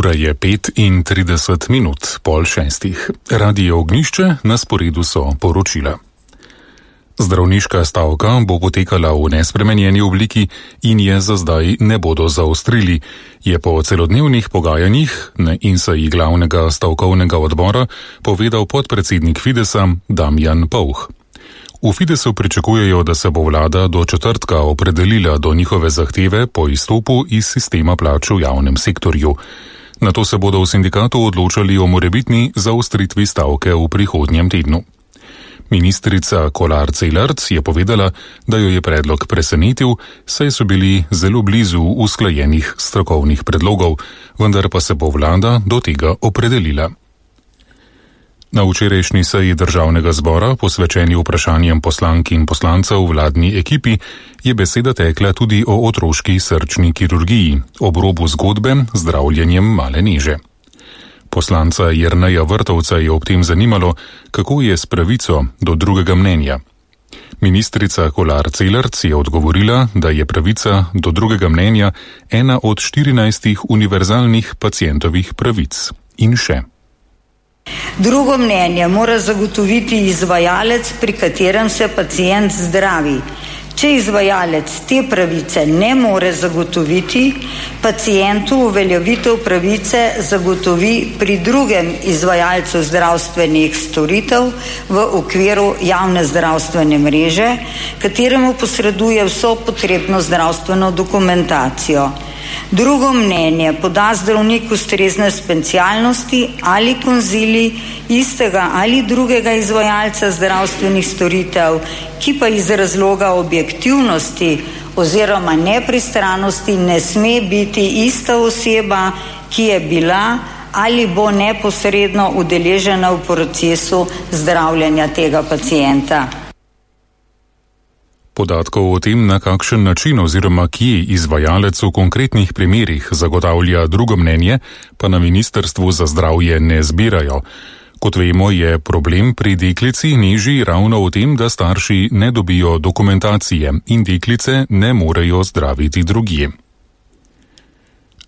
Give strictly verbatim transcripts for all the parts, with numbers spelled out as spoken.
Ura je pet in trideset minut, pol šestih. Radio Ognjišče, na sporedu so poročila. Zdravniška stavka bo potekala v nespremenjeni obliki in je za zdaj ne bodo zaostrili, je po celodnevnih pogajanjih in seji glavnega stavkovnega odbora povedal podpredsednik Fidesa Damjan Pouh. V Fidesu pričakujejo, da se bo vlada do četrtka opredelila do njihove zahteve po izstopu iz sistema plač v javnem sektorju. Nato se bodo v sindikatu odločali o morebitni zaostritvi stavke v prihodnjem tednu. Ministrica Kolar Celarc je povedala, da jo je predlog presenetil, saj so bili zelo blizu usklajenih strokovnih predlogov, vendar pa se bo vlada do tega opredelila. Na včerajšnji seji državnega zbora, posvečeni vprašanjem poslank in poslancev vladni ekipi, je beseda tekla tudi o otroški srčni kirurgiji, ob robu zgodbe z zdravljenjem male neže. Poslanca Jerneja Vrtovca je ob tem zanimalo, kako je s pravico do drugega mnenja. Ministrica Kolar Celarc je odgovorila, da je pravica do drugega mnenja ena od štirinajstih univerzalnih pacientovih pravic. In še. Drugo mnenje mora zagotoviti izvajalec, pri katerem se pacient zdravi. Če izvajalec te pravice ne more zagotoviti, pacientu uveljavitev pravice zagotovi pri drugem izvajalcu zdravstvenih storitev v okviru javne zdravstvene mreže, kateremu posreduje vso potrebno zdravstveno dokumentacijo. Drugo mnenje poda zdravnik ustrezne specialnosti ali konzilij istega ali drugega izvajalca zdravstvenih storitev, ki pa iz razloga objektivnosti oziroma nepristranosti ne sme biti ista oseba, ki je bila ali bo neposredno udeležena v procesu zdravljenja tega pacienta. Podatkov o tem, na kakšen način oziroma kje izvajalec v konkretnih primerih zagotavlja drugo mnenje, pa na Ministrstvu za zdravje ne zbirajo. Kot vemo, je problem pri deklici neži ravno v tem, da starši ne dobijo dokumentacije in deklice ne morejo zdraviti drugje.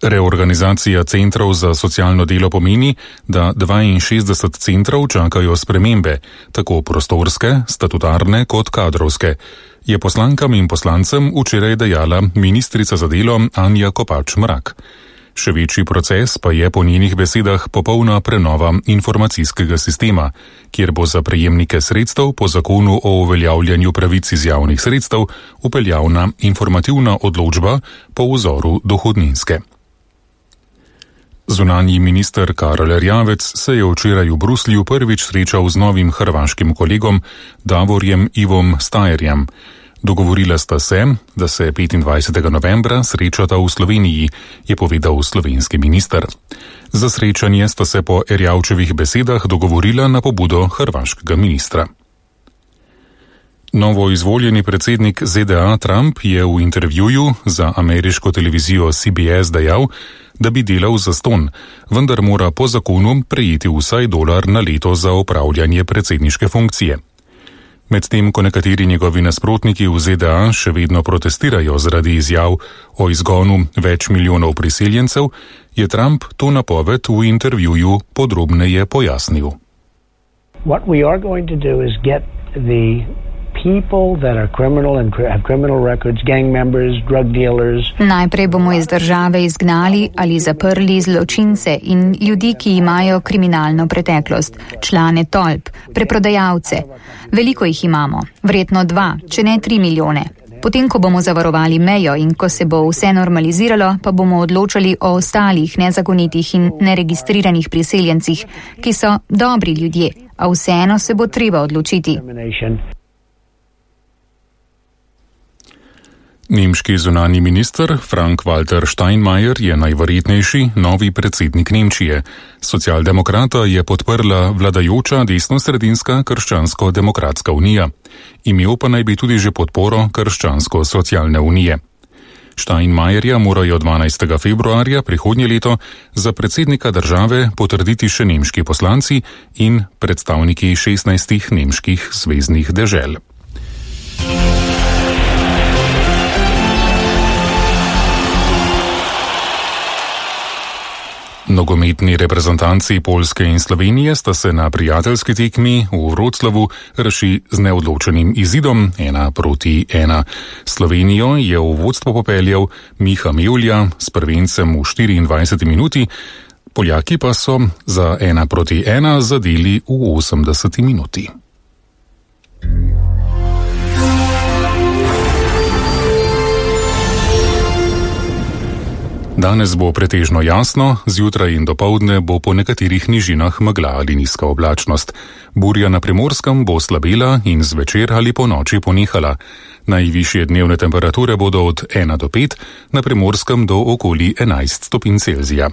Reorganizacija centrov za socialno delo pomeni, da dvainšestdeset centrov čakajo spremembe, tako prostorske, statutarne kot kadrovske, je poslankam in poslancem včeraj dejala ministrica za delo Anja Kopač Mrak. Še večji proces pa je po njenih besedah popolna prenova informacijskega sistema, kjer bo za prejemnike sredstev po zakonu o uveljavljanju pravic iz javnih sredstev upeljavna informativna odločba po vzoru dohodninske. Zunanji minister Karel Erjavec se je včeraj v Bruslju prvič srečal z novim hrvaškim kolegom Davorjem Ivom Stajerjem. Dogovorila sta se, da se petindvajsetega novembra srečata v Sloveniji, je povedal slovenski minister. Za srečanje sta se po Erjavčevih besedah dogovorila na pobudo hrvaškega ministra. Novo izvoljeni predsednik Z D A Trump je v intervjuju za ameriško televizijo C B S dejal, da bi delal zastonj, vendar mora po zakonu prejeti vsaj dolar na leto za opravljanje predsedniške funkcije. Medtem ko nekateri njegovi nasprotniki v Z D A še vedno protestirajo zaradi izjav o izgonu več milijonov priseljencev, je Trump to napoved v intervjuju podrobneje pojasnil. What we are going to do is get the people that are criminal and have criminal records, gang members, drug dealers. Najprej bomo iz države izgnali ali zaprli zločince in ljudi, ki imajo kriminalno preteklost, člane tolp, preprodajalce. Veliko jih imamo, verjetno dva, če ne tri milijone. Potem, ko bomo zavarovali mejo in ko se bo vse normaliziralo, pa bomo odločali o ostalih nezakonitih in neregistriranih priseljencih, ki so dobri ljudje, a vseeno se bo treba odločiti. Nemški zunanji minister Frank-Walter Steinmeier je najverjetnejši novi predsednik Nemčije. Socialdemokrata je podprla vladajoča desnosredinska Krščansko-demokratska unija. Imel pa naj bi tudi že podporo Krščansko-socialne unije. Steinmeierja morajo dvanajstega februarja prihodnje leto za predsednika države potrditi še nemški poslanci in predstavniki šestnajstih nemških zveznih dežel. Nogometni reprezentanci Poljske in Slovenije sta se na prijateljski tekmi v Vroclavu rešili z neodločenim izidom ena proti ena. Slovenijo je v vodstvo popeljal Miha Mevlja s prvencem v štiriindvajseti minuti, Poljaki pa so za ena proti ena zadeli v osemdeseti minuti. Danes bo pretežno jasno, zjutraj in dopoldne bo po nekaterih nižinah megla ali nizka oblačnost. Burja na Primorskem bo slabela in zvečer ali po noči ponehala. Najvišje dnevne temperature bodo od ena do pet, na Primorskem do okoli enajst stopinj Celzija.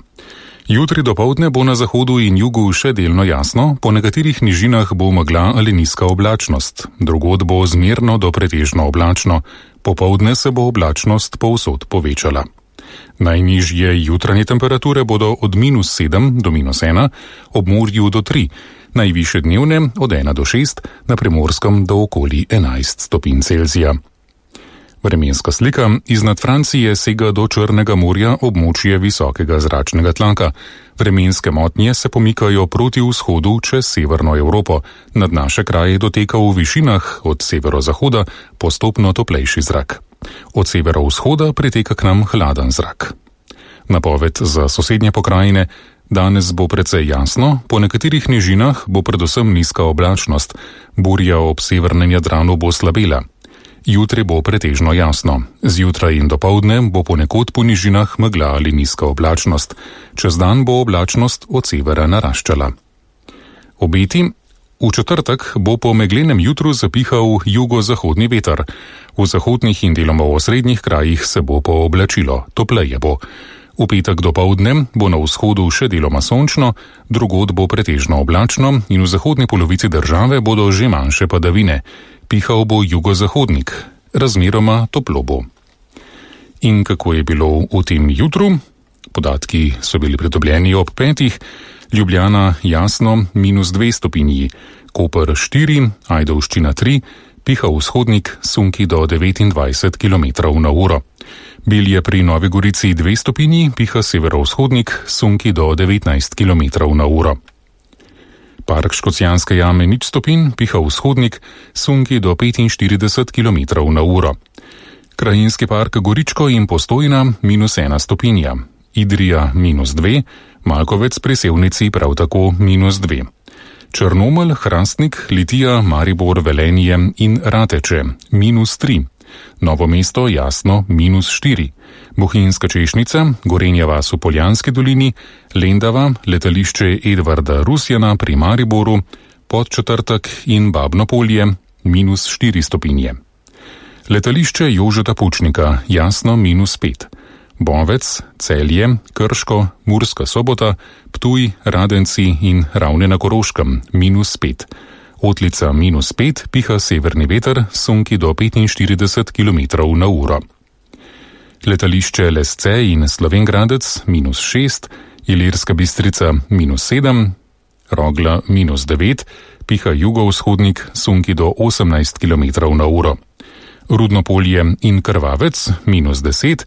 Jutri dopoldne bo na zahodu in jugu še delno jasno, po nekaterih nižinah bo megla ali nizka oblačnost. Drugod bo zmerno do pretežno oblačno, popoldne se bo oblačnost povsod povečala. Najnižje jutranje temperature bodo od minus sedem do minus ena, ob morju do tri, najvišje dnevne od ena do šest, na Primorskem do okoli enajst stopinj Celzija. Vremenska slika iznad Francije sega do Črnega morja območje visokega zračnega tlaka. Vremenske motnje se pomikajo proti vzhodu čez severno Evropo. Nad naše kraje doteka v višinah od severozahoda postopno toplejši zrak. Od severovzhoda priteka k nam hladen zrak. Napoved za sosednje pokrajine: danes bo precej jasno, po nekaterih nižinah bo predvsem nizka oblačnost, burja ob severnem Jadranu bo slabela. Jutri bo pretežno jasno, zjutraj in dopoldne bo ponekod po nižinah megla ali nizka oblačnost, čez dan bo oblačnost od severa naraščala. Obeti: v četrtek bo po meglenem jutru zapihal jugozahodni veter. V zahodnih in deloma v osrednjih krajih se bo pooblačilo, topleje bo. V petek dopoldne bo na vzhodu še deloma sončno, drugod bo pretežno oblačno in v zahodni polovici države bodo že manjše padavine. Pihal bo jugozahodnik, razmeroma toplo bo. In kako je bilo v tem jutru? Podatki so bili pridobljeni ob petih. Ljubljana jasno minus dve stopinji, Koper štiri, Ajdovščina tri, piha vzhodnik, sunki do devetindvajset kilometrov na uro. Bilje pri Novi Gorici dve stopinji, piha severovzhodnik, sunki do devetnajst kilometrov na uro. Park Škocjanske jame nič stopinj, piha vzhodnik, sunki do petinštirideset kilometrov na uro. Krajinski park Goričko in Postojna minus ena stopinja, Idrija minus dve, Malkovec pri Sevnici prav tako minus dve. Črnomelj, Hrastnik, Litija, Maribor, Velenje in Rateče minus tri. Novo mesto jasno minus štiri. Bohinjska Češnica, Gorenja vas v Poljanski dolini, Lendava, letališče Edvarda Rusjana pri Mariboru, Podčetrtek in Babno Polje minus štiri stopinje. Letališče Jožeta Pučnika jasno minus pet. Bovec, Celje, Krško, Murska Sobota, Ptuj, Radenci in Ravne na Koroškem minus pet. Otlica minus pet, piha severni veter, sunki do petinštirideset kilometrov na uro. Letališče Lesce in Slovengradec minus šest, Ilirska Bistrica minus sedem, Rogla minus devet, piha jugovzhodnik, sunki do osemnajst kilometrov na uro. Rudno Polje in Krvavec minus deset,